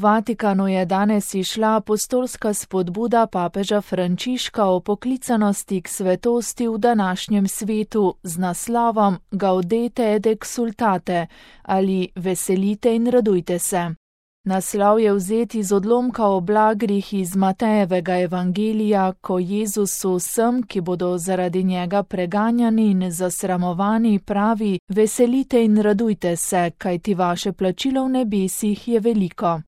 Vatikanu je danes izšla apostolska spodbuda papeža Frančiška o poklicanosti k svetosti v današnjem svetu z naslovom Gaudete et exsultate ali Veselite in radujte se. Naslov je vzet iz odlomka o blagrih iz Matejevega evangelija, ko Jezus vsem, ki bodo zaradi njega preganjani in zasramovani, pravi: Veselite in radujte se, kajti vaše plačilo v nebesih je veliko.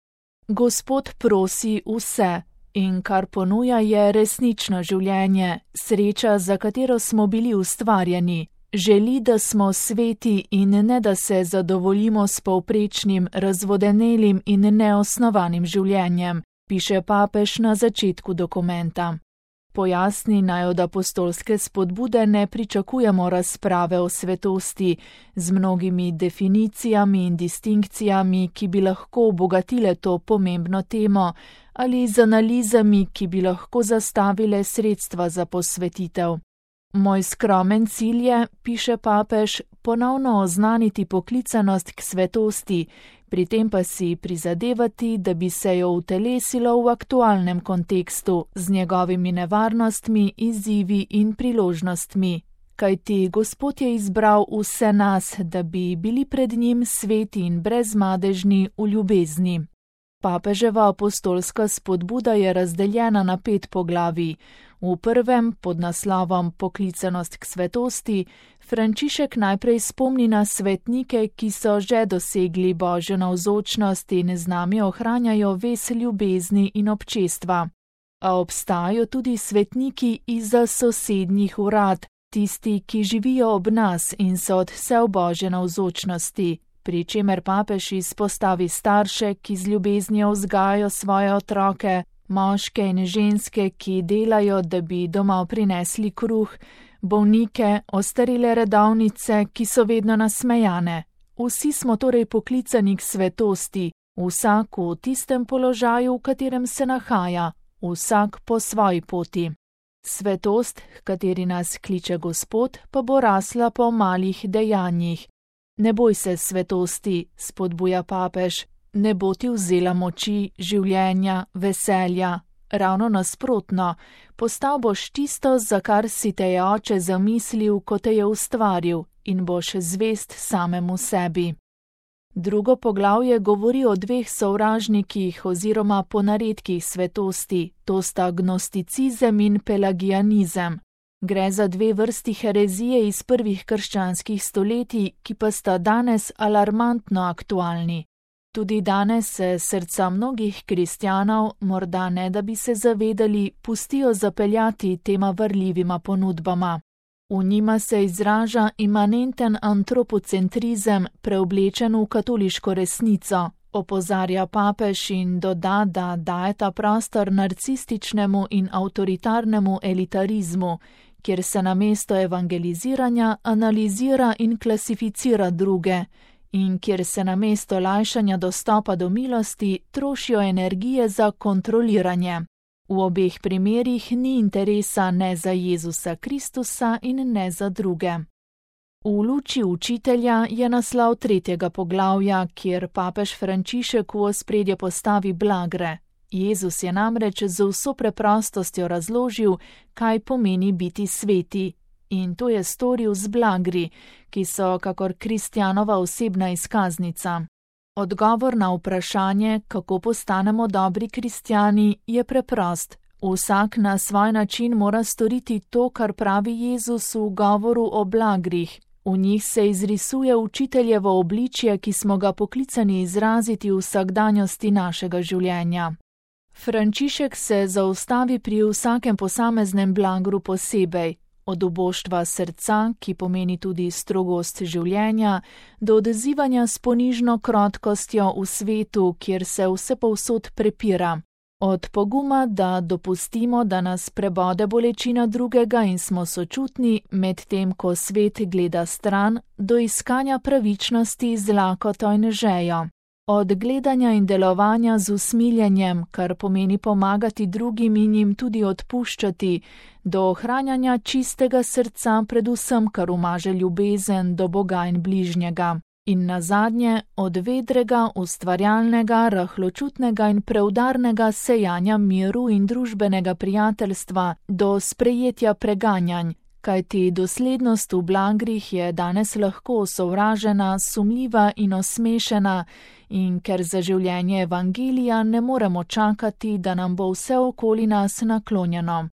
Gospod prosi vse in kar ponuja je resnično življenje, sreča, za katero smo bili ustvarjeni. Želi, da smo sveti in ne da se zadovoljimo s povprečnim, razvodenelim in neosnovanim življenjem, piše papež na začetku dokumenta. Pojasni naj od apostolske spodbude ne pričakujemo razprave o svetosti z mnogimi definicijami in distinkcijami, ki bi lahko obogatile to pomembno temo, ali z analizami, ki bi lahko zastavile sredstva za posvetitev. Moj skromen cilj je, piše papež, ponovno oznaniti poklicanost k svetosti, pri tem pa si prizadevati, da bi se jo utelesilo v aktualnem kontekstu z njegovimi nevarnostmi, izzivi in priložnostmi. Kajti Gospod je izbral vse nas, da bi bili pred njim sveti in brezmadežni v ljubezni. Papeževa apostolska spodbuda je razdeljena na 5 poglavij. V prvem, pod naslovom Poklicanost k svetosti, Frančišek najprej spomni na svetnike, ki so že dosegli Božjo navzočnost in z nami ohranjajo vez ljubezni in občestva. A obstajajo tudi svetniki izza sosednjih urad, tisti, ki živijo ob nas in so od vse v Božje navzočnosti, pri čemer papež izpostavi starše, ki z ljubeznijo vzgajajo svoje otroke, moške in ženske, ki delajo, da bi doma prinesli kruh, bolnike, ostarele redovnice, ki so vedno nasmejane. Vsi smo torej poklicani k svetosti, vsak v tistem položaju, v katerem se nahaja, vsak po svoji poti. Svetost, h kateri nas kliče Gospod, pa bo rasla po malih dejanjih. Ne boj se svetosti, spodbuja papež. Ne bo ti vzela moči, življenja, veselja. Ravno nasprotno, postal boš tisto, za kar si te je Oče zamislil, ko te je ustvaril, in boš zvest samemu sebi. Drugo poglavje govori o 2 sovražnikih oziroma ponaredkih svetosti, to sta gnosticizem in pelagianizem. Gre za 2 vrsti herezije iz prvih krščanskih stoletij, ki pa sta danes alarmantno aktualni. Tudi danes se srca mnogih kristjanov, morda ne da bi se zavedali, pustijo zapeljati tema varljivima ponudbama. V njima se izraža imanenten antropocentrizem, preoblečen v katoliško resnico, opozarja papež in doda, da daje ta prostor narcističnemu in avtoritarnemu elitarizmu, kjer se namesto evangeliziranja analizira in klasificira druge, in kjer se namesto lajšanja dostopa do milosti trošijo energije za kontroliranje. V obeh primerih ni interesa ne za Jezusa Kristusa in ne za druge. V luči učitelja je naslov 3. poglavja, kjer papež Frančišek v ospredje postavi blagre. Jezus je namreč z vso preprostostjo razložil, kaj pomeni biti sveti. In to je storil z blagri, ki so kakor kristjanova osebna izkaznica. Odgovor na vprašanje, kako postanemo dobri kristjani, je preprost. Vsak na svoj način mora storiti to, kar pravi Jezus v govoru o blagrih. V njih se izrisuje učiteljevo obličje, ki smo ga poklicani izraziti v vsakdanjosti našega življenja. Frančišek se zaustavi pri vsakem posameznem blagru posebej. Od uboštva srca, ki pomeni tudi strogost življenja, do odzivanja s ponižno krotkostjo v svetu, kjer se vsepovsod prepira. Od poguma, da dopustimo, da nas prebode bolečina drugega in smo sočutni, medtem ko svet gleda stran, do iskanja pravičnosti z lakoto in žejo. Od gledanja in delovanja z usmiljenjem, kar pomeni pomagati drugim in jim tudi odpuščati, do ohranjanja čistega srca predvsem, kar umaže ljubezen do Boga in bližnjega. In nazadnje od vedrega, ustvarjalnega, rahločutnega in preudarnega sejanja miru in družbenega prijateljstva do sprejetja preganjanj, kajti doslednost v blagrih je danes lahko sovražena, sumljiva in osmešena, in ker za življenje evangelija ne moremo čakati, da nam bo vse okoli nas naklonjeno.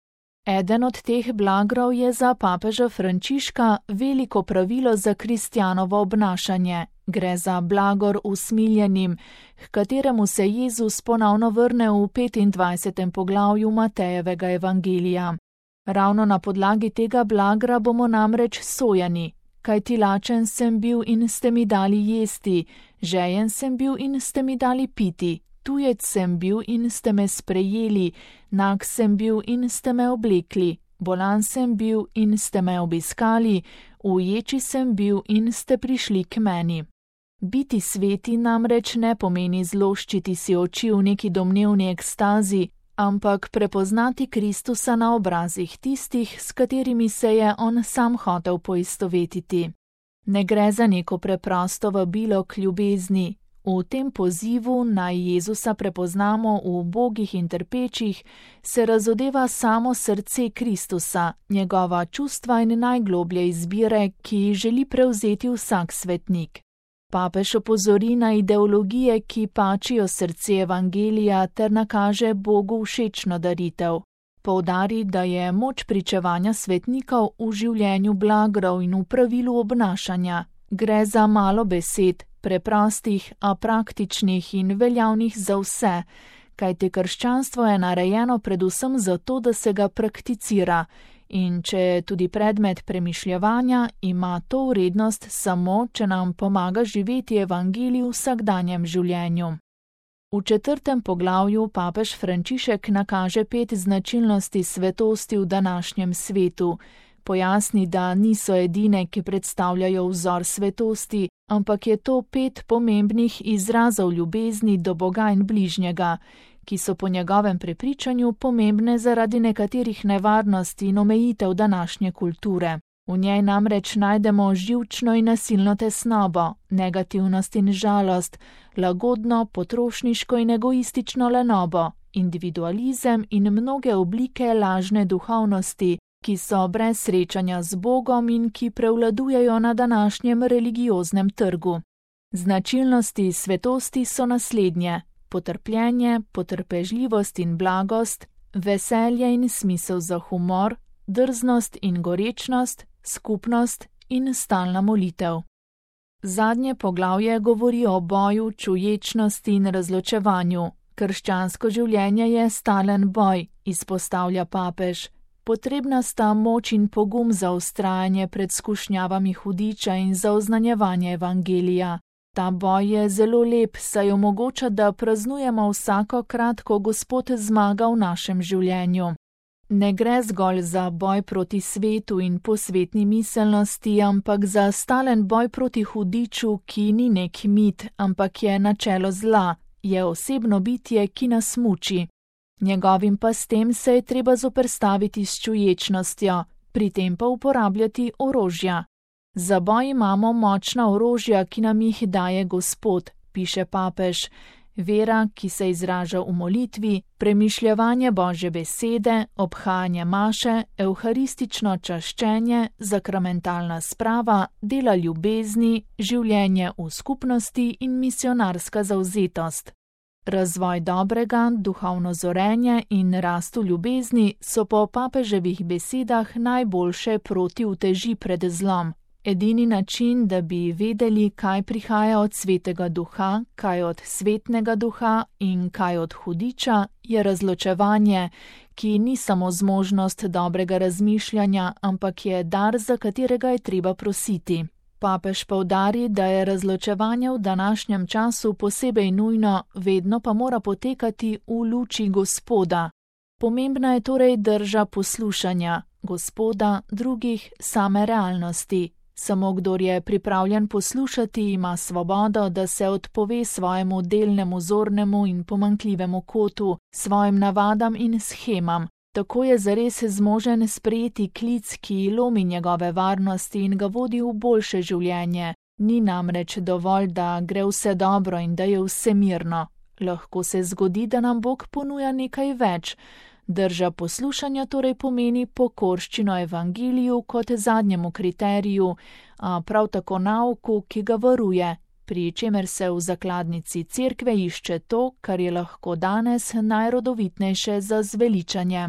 Eden od teh blagrov je za papeža Frančiška veliko pravilo za kristjanovo obnašanje. Gre za blagor usmiljenim, k kateremu se Jezus ponovno vrne v 25. poglavju Matejevega evangelija. Ravno na podlagi tega blagra bomo namreč sojeni, kajti lačen sem bil in ste mi dali jesti, žejen sem bil in ste mi dali piti, tujec sem bil in ste me sprejeli, nag sem bil in ste me oblekli, bolan sem bil in ste me obiskali, uječi sem bil in ste prišli k meni. Biti sveti namreč ne pomeni zloščiti si oči v neki domnevni ekstazi, ampak prepoznati Kristusa na obrazih tistih, s katerimi se je on sam hotel poistovetiti. Ne gre za neko preprosto vabilo k ljubezni. V tem pozivu naj Jezusa prepoznamo v ubogih in trpečih, se razodeva samo srce Kristusa, njegova čustva in najgloblje izbire, ki jih želi prevzeti vsak svetnik. Papež opozori na ideologije, ki pačijo srce evangelija ter nakaže Bogu všečno daritev. Poudari, da je moč pričevanja svetnikov v življenju blagrov in v pravilu obnašanja. Gre za malo besed, preprostih, a praktičnih in veljavnih za vse, kajti krščanstvo je narejeno predvsem zato, da se ga prakticira. In če je tudi predmet premišljevanja, ima to vrednost samo, če nam pomaga živeti evangelij v vsakdanjem življenju. V 4. poglavju papež Frančišek nakaže 5 značilnosti svetosti v današnjem svetu. Pojasni, da niso edine, ki predstavljajo vzor svetosti, ampak je to 5 pomembnih izrazov ljubezni do Boga in bližnjega, ki so po njegovem prepričanju pomembne zaradi nekaterih nevarnosti in omejitev današnje kulture. V njej namreč najdemo živčno in nasilno tesnobo, negativnost in žalost, lagodno, potrošniško in egoistično lenobo, individualizem in mnoge oblike lažne duhovnosti, ki so brez srečanja z Bogom in ki prevladujejo na današnjem religioznem trgu. Značilnosti svetosti so naslednje: potrpljenje, potrpežljivost in blagost, veselje in smisel za humor, drznost in gorečnost, skupnost in stalna molitev. Zadnje poglavje govori o boju, čuječnosti in razločevanju. Krščansko življenje je stalen boj, izpostavlja papež. Potrebna sta moč in pogum za vztrajanje pred skušnjavami hudiča in za oznanjevanje evangelija. Ta boj je zelo lep, saj omogoča, da praznujemo vsakokrat, ko Gospod zmaga v našem življenju. Ne gre zgolj za boj proti svetu in posvetni miselnosti, ampak za stalen boj proti hudiču, ki ni nek mit, ampak je načelo zla, je osebno bitje, ki nas muči. Njegovim pastem se je treba zoperstaviti s čuječnostjo, pri tem pa uporabljati orožja. Za boj imamo močna orožja, ki nam jih daje Gospod, piše papež. Vera, ki se izraža v molitvi, premišljevanje Božje besede, obhajanje maše, evharistično čaščenje, sakramentalna sprava, dela ljubezni, življenje v skupnosti in misionarska zavzetost. Razvoj dobrega, duhovno zorenje in rast v ljubezni so po papeževih besedah najboljše proti uteži pred zlom. Edini način, da bi vedeli, kaj prihaja od svetega duha, kaj od svetnega duha in kaj od hudiča, je razločevanje, ki ni samo zmožnost dobrega razmišljanja, ampak je dar, za katerega je treba prositi. Papež poudari, da je razločevanje v današnjem času posebej nujno, vedno pa mora potekati v luči Gospoda. Pomembna je torej drža poslušanja Gospoda, drugih, same realnosti. Samo kdor je pripravljen poslušati, ima svobodo, da se odpove svojemu delnemu zornemu in pomanjkljivemu kotu, svojim navadam in shemam. Tako je zares zmožen sprejeti klic, ki lomi njegove varnosti in ga vodi v boljše življenje, Ni namreč dovolj, da gre vse dobro in da je vse mirno. Lahko se zgodi, da nam Bog ponuja nekaj več. Drža poslušanja torej pomeni pokorščino evangeliju kot zadnjemu kriteriju, a prav tako nauku, ki ga varuje, pri čemer se v zakladnici cerkve išče to, kar je lahko danes najrodovitnejše za zveličanje.